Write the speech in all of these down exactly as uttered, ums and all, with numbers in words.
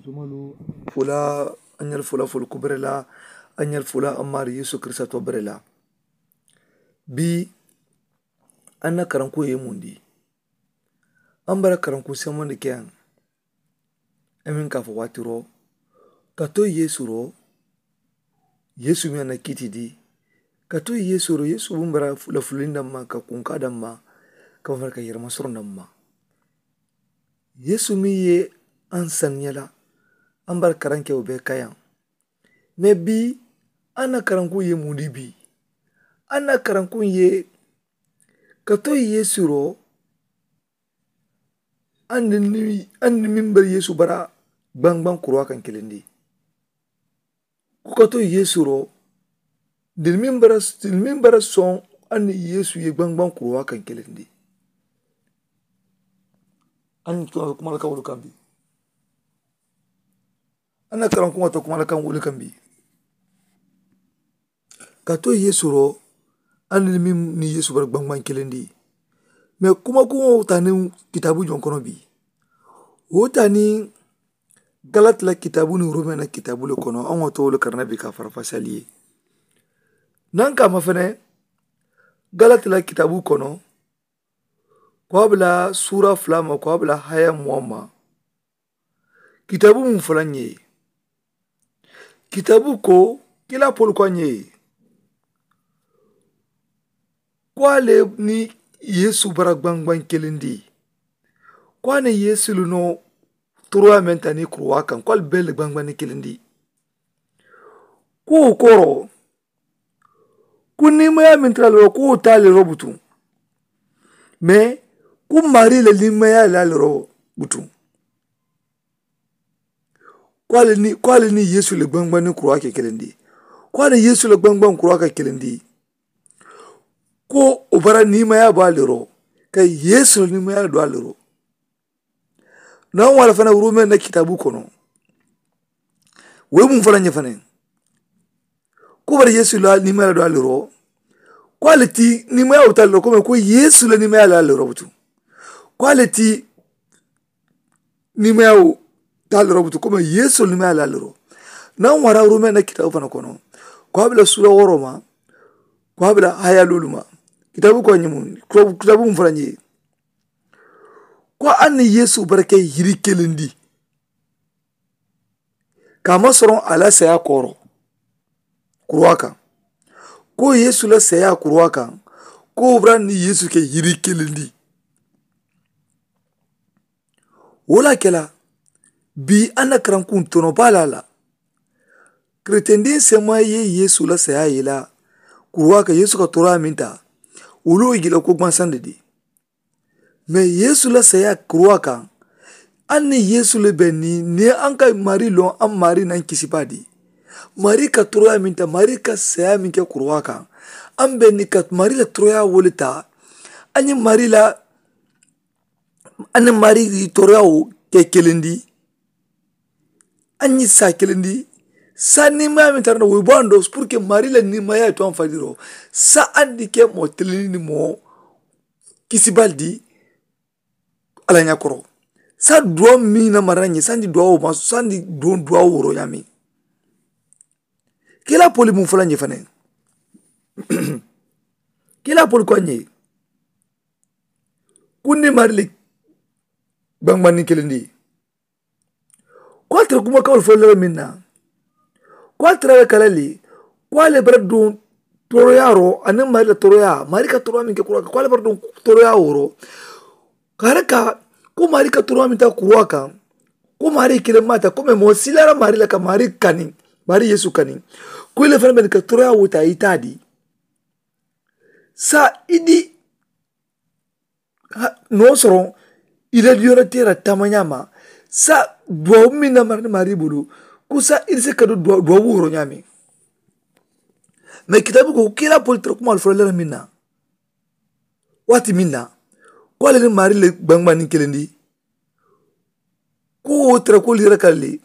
Tumalu fula, a ñali fula fulu kubere la, a ñali fula a mari yesu kirista tobere la. Bi an na karanku ye mundi an bara karanku semondi ke an. Amin ka fo watiro ka to yesu ro. Yesu mi a na kiti di ka to yesu ro yesu bun bara fula fulin damma ka kunka damma ka fo ka yirma soro damma. Yesu mi ye an saniya la an bara karanke wo be kayan. Me bi an na karankun ye mundi bi an na karankun ye ka to yesu ro. An ni min bara yesu bara gbangban kuruwa kan kelendi. Ku ka to yesu ro dini min bara dini min bara son an ni yesu ye gbangban kuruwa kan kelendi. An ni kuma ka wulu kan bi an na karan kuma to kuma la kan wuli kan bi. Ka to yesu ro an ni min ni yesu bara gbangban kelendi. Me kuma kuma wo tani kitabu jon kono bi wo tani galati la kitabu ni rome na kitabu le kono an wo to wuli karana bi ka farafasali ye. Nan ka ma fene galati la kitabu kono ko a bila sura fula ma ko a bila haya muwa ma. Kitabu mun fula ñe kitabu ko kila polu ko a ñe ko a le ni yesu bara gbangban kelendi. Ko a ni yesu lu no toroya men ta ni kuruwa kan ko a le bele gbangban ni kelendi. Ko wo koro ku nimaya min tara lero ku wo ta lero butu. Me ku mari le nimaya la lero butu. Ku ale ni ku ale ni yesu le gbangban ni kura ke kelendi. Ku ale yesu le gbangban kura ke kelendi. Ku o bara nimaya ba lero ka yesu le nimaya do alero. Na wala fana rume na kitabu kono. We mun fana ñe fana ku bari yesu la nimaya do alero. Ku ale ti nimaya o talero kome ku yesu la nimaya la alero butu. Ku ale ti nimaya o talero butu kome yesu la nimaya la alero. Na wara rume na kitabu fana kono ku abila sura woro ma ku abila haya lulu ma. Kitabu ko ñimu kitabu mun fana ñe. Ko an ni yesu barake yiri kelendi. Ka ma soron a la saya koro kuruwa kan. Ko yesu la saya kuruwa kan ko bra ni yesu ke yiri kelendi. Wo la kela bi an na karankun tono ba la la. Keretendin sema ye yesu la saya ye la kuruwa kan yesu ka tora min ta wulu igila ko gbansande di. Me yesu la saya kuruwa kan. An ni yesu le be ni ni an ka mari lon an mari nan kisiba di. Mari ka toroya min ta mari ka saya min ke kuruwa kan. An be ni ka mari la toroya wole ta an ni mari la an ni mari toroya wo ke kelendi. An ni sa kelendi sa nimaya min tara na wo bo an do pour que mari la nimaya to an fadiro sa an di ke mo teleni ni mo kisibaldi. Ala ña koro sa duwa mi na mara ñe sandi duwa wo ma sandi duwa woro ñami. Kila poli mun fula ñe fane kila poli ko ñe. Kundi marili gbangbanni kilindi. Ko a tara kuma kawal fo lala min na ko a tara la kalali ko ale bara dun toroya ro ani mari la toroya mari ka toroya min ke kura ko ale bara dun toroya woro. Kare ka ko mari ka toroya min ta kura kan ko mari kile mata ko me mo silara mari la ka mari kani mari yesu kani. Ko ile fana ben ka toroya wuta itadi sa idi. N'o sɔrɔ i la yɔrɔ tɛ la taamaɲa ma sa duwawu min na mari ni mari bolo ko sa i se ka don duwawu woro ɲaami. Mais kitabu ko kira poli tara kuma fɔlɔ lɛrɛ min na waati min na ko ale ni mari le gbangba ni kelen di. Ko tara ko yɛrɛ ka le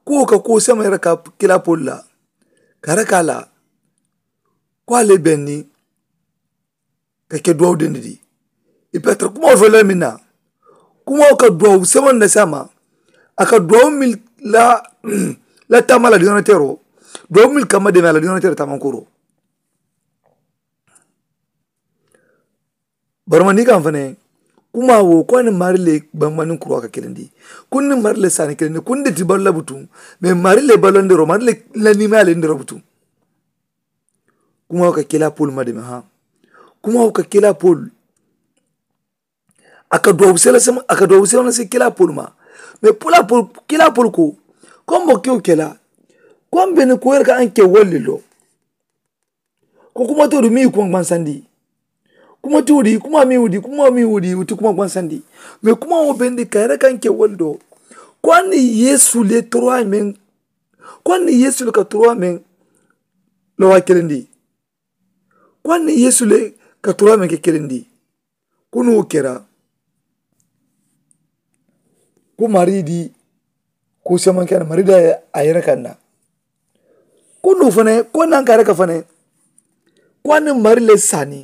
ko ka ko sama yɛrɛ ka kira poli la kare ka la ko ale bɛn ni ka ke duwawu dendi di. I pe a tara kumawo fo la min na kumawo ka duwawu seman na sama a ka duwawu min la la taama la duñaana teeroo. Duwawu mili kamma deemee a la duñaana teeroo taamankooroo. Bari ma niŋ i ka a fanaŋ kumaa wo ko a niŋ maarii le gbaŋ gbaŋ niŋ kuruwaa ka kelendi. Ko niŋ maarii le saani kelendi ko n de ti baluu la butuŋ. Mee maarii le baluu la n deroo maarii le la niimaa ye a le n deroo butuŋ. Kumaa wo ka kelaa poolu ma deemee haa. Kumaa wo ka kelaa poolu a ka duwawu sela sema a ka duwawu sela sema kelaa poolu ma. Mee poolu a poolu kelaa poolu ko ko a mbokewo kelaa ko a mbe ni ko yere ka a nke wolu le loo. Ko kuma too di miŋ ye kuma gbansandi. Kuma too di kuma miŋ wo di kuma miŋ wo di wo ti kuma gbansandi. Mee kuma wo bendi ka yere ka nke wolu doo. Ko a ni yeesu le toroyaa meŋ ko a ni yeesu le ka toroyaa meŋ loo a kelendi. Ko a ni yeesu le ka toroyaa meŋ ke kelendi. Ko niŋ wo kera ko maarii di ko semaŋ ke a na maarii di a yere kaŋ na. Ko niŋ wo fanaŋ ko naŋ ka a yere ka fanaŋ ko a ni maarii le saani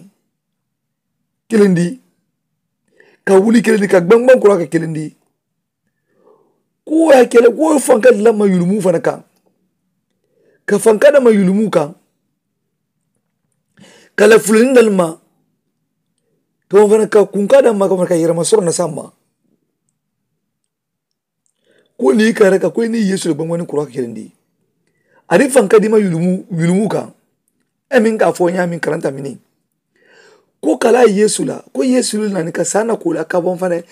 kelendi. Ka wuli kelendi ka gbaŋ gbaŋ kuraa ka kelendi. Ko wo ye a ke le ko wo fanka dila ma yulumu fanaŋ kaŋ. Ka fanka dama yulumu kaŋ ka la fulanindali ma. Ka wo fanaŋ ka kunkaa dama ka wo fanaŋ ka yerema soroŋ na saŋ ma. Ko niŋ i ka a reka ko i niŋ yeesu le gbaŋ gbaŋ niŋ kuraa ka kelendi. Aniŋ fanka dima yulumu yulumu kaŋ. E meŋ ka a fo ñaameŋ karanta miniŋ ko ka laa yeesu la ko yeesu le naani ka saa na ko la ka baŋ fanaŋ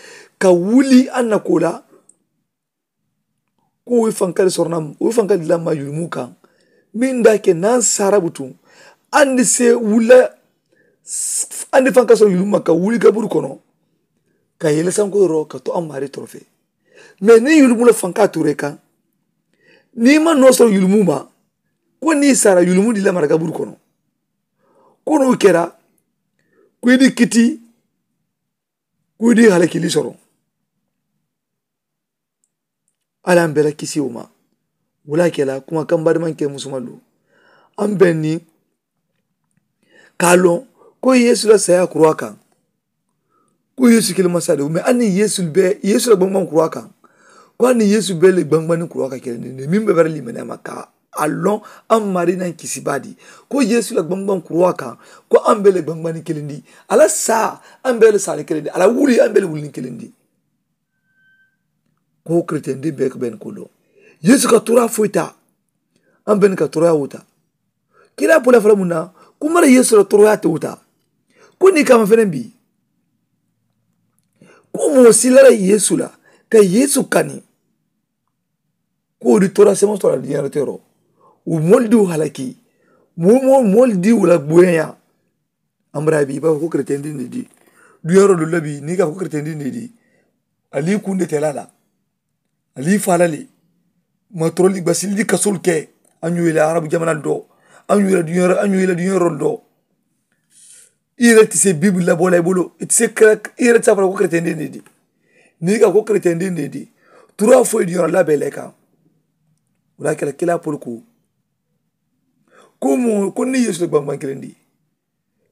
ka wuli a na ko la. Ko wo ye fanka le soroŋ na wo ye fanka dila ma yulumu kaŋ. Meŋ daa ke naŋ saara butuŋ andi se wula. Andi fanka soroŋ yulumu ma ka wuli gaburu kono ka yele sanko yoroo ka to a maarii torofe. Mee niŋ yulumu la fanka tuura i kaŋ niŋ i maŋ noo soroŋ yulumu ma. Ko niŋ i saara yulumu di la mara gaburu kono. Ko niŋ wo kera ko i di kiti ko i di halakili soroŋ. Alla ye a mbe la kisi wo ma. Wo le ye a ke la kuma kaŋ baadimaŋ ke musumalu a mbe niŋ ka a loŋ ko yeesu la saayaa kuruwaa kaŋ. Ko yeesu kiliŋ masaa de wo mee a niŋ yeesu be yeesu la gbaŋ gbaŋ kuruwaa kaŋ. Ko a niŋ yeesu be le gbaŋ gbaŋ niŋ kuruwaa kaŋ kiliŋ de meŋ be bari limanee ma ka a loŋ a maarii naŋ kisi baadi. Ko yeesu la gbaŋ gbaŋ kuruwaa kaŋ ko a mbe le gbaŋ gbaŋ niŋ kiliŋ di a la saa a mbe le saa niŋ kiliŋ di a la wuli a mbe le wuli niŋ kiliŋ di. Ko kereteyandiŋ bee ka bee niŋ ko loŋ yeesu ka tooraa foyi taa. A mbe niŋ ka toorayaa wo taa. Kiraa pola fala muŋ na? Kumara yeesu la toroyaa te wo taa. Ko niŋ i ka a ma fanaŋ bii ko moo si lala yeesu la ka yeesu kani. Ko wo di toroyaa semaŋ soroŋ a la diiñaaroo teeroo. Wo moolu diwo halaki moo moo moolu diwo la boyayaa. Ambara bii i be a fo ko kereteyandiŋ ne dii. Duñaaroo dolu la bii niŋ i ka a fo ko kereteyandiŋ ne dii. Ali i kunde tela la. Ali i faa la le. Matoroli basili di kasoolu ke. A ñoo i la arabu jamanaŋ doo. A ñoo i la duñaaroo a ñoo i la duñaaroo doo. I yere ti se bibili la boo la i bulu i ti se kere i yere ti se a fo la ko kereteyandiŋ ne dii. Niŋ i ka a fo ko kereteyandiŋ ne dii. Turaa fo i duñaaroo la bee la i kaŋ. Wo le ye a ke la kilaa polu ko. Ko moo ko niŋ yeesu le gbaŋ gbaŋ kiliŋ dii.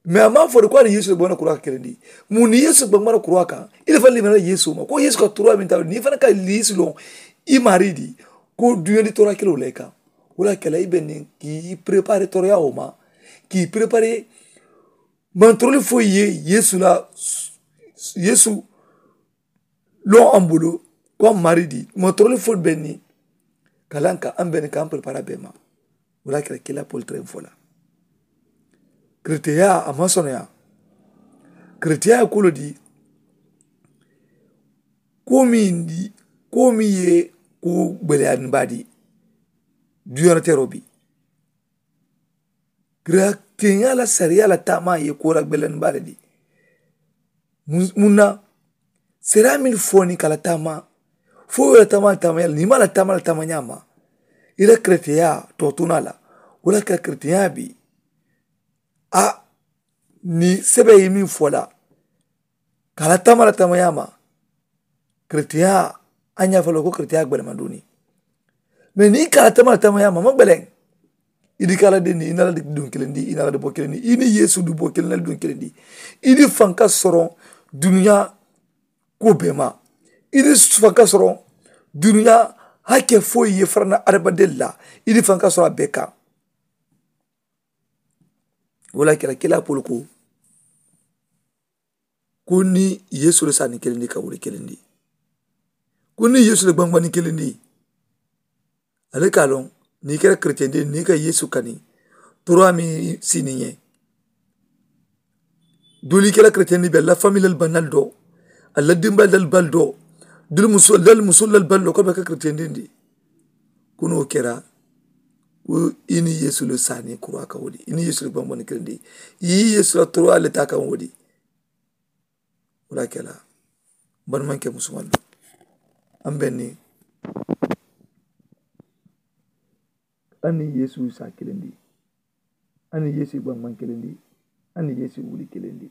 Mee a maŋ a fo de ko a niŋ yeesu le gbaŋ na kuruwaa ka kelendi. Muŋ niŋ yeesu gbaŋ gbaŋ na kuruwaa kaŋ. I le fanaŋ limanee la yeesu ma ko yeesu ka toroyaa meŋ taa niŋ i fanaŋ ka yeesu loŋ. I maarii di ko duñaandi toroyaa kiliŋo le i kaŋ. Wo le ye a ke la i be niŋ ka i perepaaree toroyaa wo ma. Ka i perepaaree mantoroli foyi ye yeesu la yeesu loŋ a bulu. Ko a maarii di mantoroli foyi be niŋ ka laŋ ka a mbe niŋ ka a perepaaree a bee ma. Wo le ye a ke la kiilaa poli tereŋ fo la. Kereteyaa a maŋ soneyaa. Kereteyaa ye kuu le dii. Kuu meŋ ye kuu meŋ ye kuu gbeleyaani baa dii. Duñaaroo teeroo bii kereteyaa la sariyaa la taamaa ye kuu la gbeleyaani baa le dii. Muŋ na sariyaa meŋ fo niŋ ka la taamaa fo i la taamaa la taamaa ñaa la niŋ i maŋ la taamaa la taamaa ñaa ma. I la kereteyaa too tunaa la. Wo le ye a ke la kereteyaa bii a niŋ sebee ye meŋ fo la ka a la taamaa la taamaa ñaa ma. Kereteyaa a ñaa fo la ko kereteyaa gbelemanduuni. Mee niŋ i ka a la taamaa la taamaa ñaa ma a maŋ gbeleŋ. I di ka a la dendi i naa la duŋ kiliŋ di i naa la di boo kiliŋ di i niŋ yeesu di boo kiliŋ na duŋ kiliŋ di. I di fanka soroŋ duniyaa kuwo bee ma. I di fanka soroŋ duniyaa A ke foyi ye farana adamaden la i ni fanka sɔrɔ a bɛɛ kaŋ. Wala kɛra kila polo ko ko ni yesu le sani kelen di ka wuli kelen di. Ko ni yesu le gbangbani kelen di. Ale ka loŋ ni kɛra keretiyende ni ka yesu kani toroya mi sini ye. Duli kɛra keretiyende be la famille lal banal do a la dimbal dal bal do duli musul dal musul lal bal do ko be ka keretiyende ndi. Kuno kɛra ko i ni yesu le sani kura ka wodi i ni yesu le gbangbani kelen di. I yesu la toroya le ta kan wodi. Wala kɛla bari maŋ ke musuman do. An bɛ ni an ni yesu sa kelen di. An ni yesu gbaŋ maŋ kelen di. An ni yesu wuli kelen di.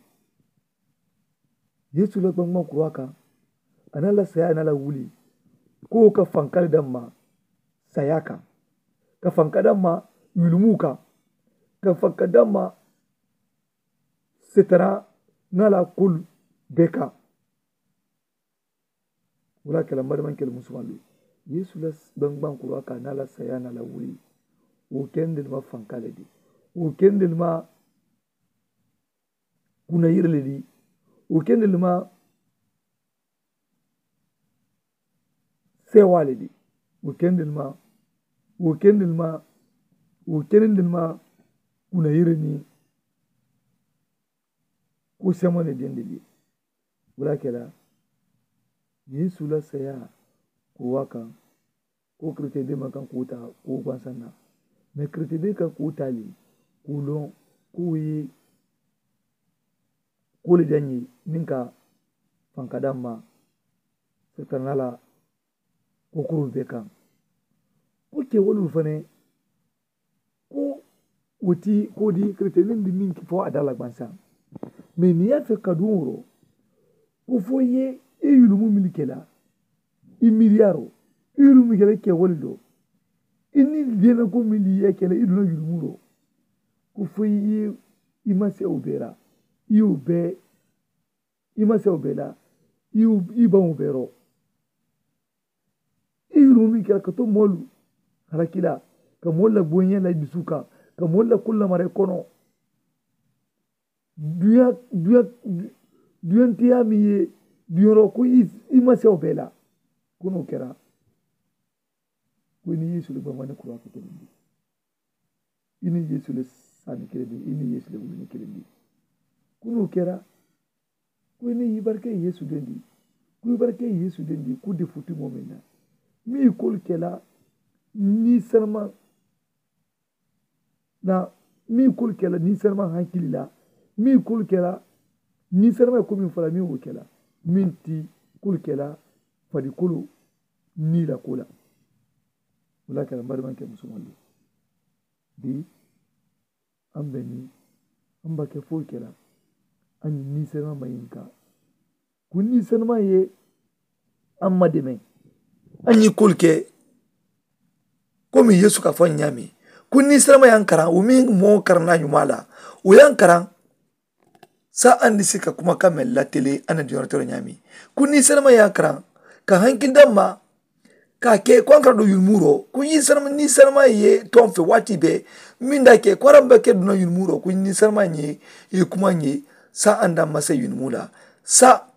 Yesu la gbaŋ maŋ kura kaŋ a na la saya na la wuli ko ka fankali damma saya kaŋ ka fanka damma yulumu kaŋ ka fanka damma setara ŋa la kul beka. Wala kela mari man kela musumalu yesu la gbaŋ gbaŋ kura ka na la saya na la wuli. Wo kendel ma fankale di wo kendel ma kuna yirle di wo kendel ma sewa le di. Wo kendel ma wo kendel ma wo kendel ma kuna yirle ni. Ku semone dendeli wala kela yesu la saya ku wakaŋ. Ko keretiyende ma kaŋ ku ta ku gwansanna me keretiyende kaŋ ku tali ku loŋ ku yi. Kuli jaŋ yi niŋ ka fankadaŋ ma setanala. Ko kurul be kaŋ ko ke wolul fane. Ko woti ko di keretiyende ndi niŋ ki fo a dala gwansaŋ. Me niŋ ya fe kaduŋ wuro ko fo ye i yulumu mili kela i miliyaro i yulumu kela ke woli do. I ni dena ko mili ye kela i duna yulumu do ko fo ye i ma se o bera i o be i ma se o bela i baŋo bero. I yurumi kela ka to moolu halakila ka moolu la boyiñe la dusu kaŋ ka moolu la kulla mare kono. Duya duya duyantiya mi ye duyoro ko i ma se o bela. Kono kera ko i ni yesu le bamani kura ko kelendi. I ni yesu le sani kelendi i ni yesu le wulini kelendi. Kono kera ko i ni i barke yesu dendi. Ko i barke yesu dendi ku de futi momina mi kol kela ni sanama. Na mi kol kela ni sanama hankili la mi kol kela ni sanama ko min fala mi wo kela min ti kol kela fadi kolo ni la kola. Wala kela mari man ke musumalu bi. An be ni an ba ke foyi kela an ni sanama ma yinka. Ku ni sanama ye an ma deme an yi kol ke. Komi yesu ka fo ñaami ku ni sanama yan karaŋ wo mi mo karaŋ na ñuma la wo yan karaŋ. Sa an di si ka kuma ka mel latele an na diyorotoro ñaami ku ni sanama yan karaŋ ka hankil damma. Ka ke ko an kara do yulmuro ku ni sanama ni sanama ye ton fe wati be min da ke ko aran be ke duna yulmuro ku ni sanama ñe ye kuma ñe. Sa an da masa yulmula sa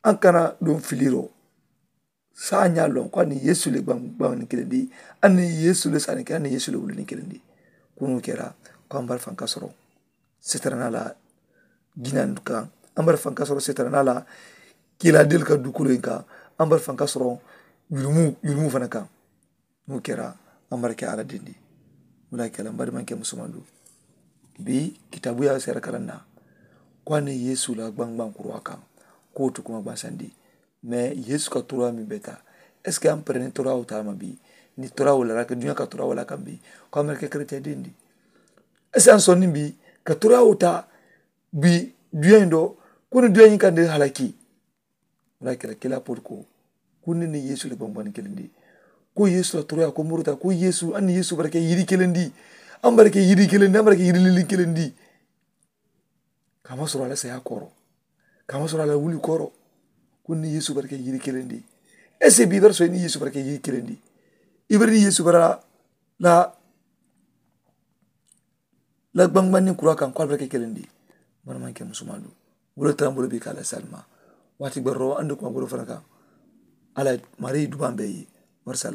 an kana don filiro. Sa a ña lon ko a ni yesu le gbaŋ ni kelendi a ni yesu le sani ke a ni yesu le wulini kelendi. Kunu kera ko an bar fanka soro setarana la ginan kan an bar fanka soro setarana la kila del ka dukulo in kan an bar fanka soro yulumu yulumu fana kan. Mu kera an bar ke ala dindi. Wala kela mbar man ke musumandu bi kitabu ya sera karanna. Ko a ni yesu la gbaŋ gbaŋ kurwa kan ko tu kuma gbaŋ sandi. Mais yesu ka toroya min be taa est ce que an pereni toroya wo taa ma bi? Ni toroya wo la rake duña ka toroya wo la kan bi ko amerike keretien den di est ce que an sonni bi ka toroya wo taa bi duña in do ko ni duña in kan de halaki. Wala kila kila pol ko ko ni ni yesu le bambani kelen di ko yesu la toroya ko muruta ko yesu an ni yesu barake yiri kelen di. An barake yiri kelen di an barake yiri lilin kelen di. Kama soro ala saya koro kama soro ala wuli koro. Kun ni yesu barke yiri kelen di Ese bii bara soyi niŋ yeesu bara ke yiri kiliŋ di? I bara niŋ yeesu bara la la gbaŋgbaŋ niŋ kuraa kaŋ ko ali bara ke kiliŋ di? Bari maŋ ke musumaa du. Wo le tarambo le be ka a la saalima waati gbaroo andi kuma goro fanaŋ kaŋ. Alla marii dubaa mbe ye. Bari saalima.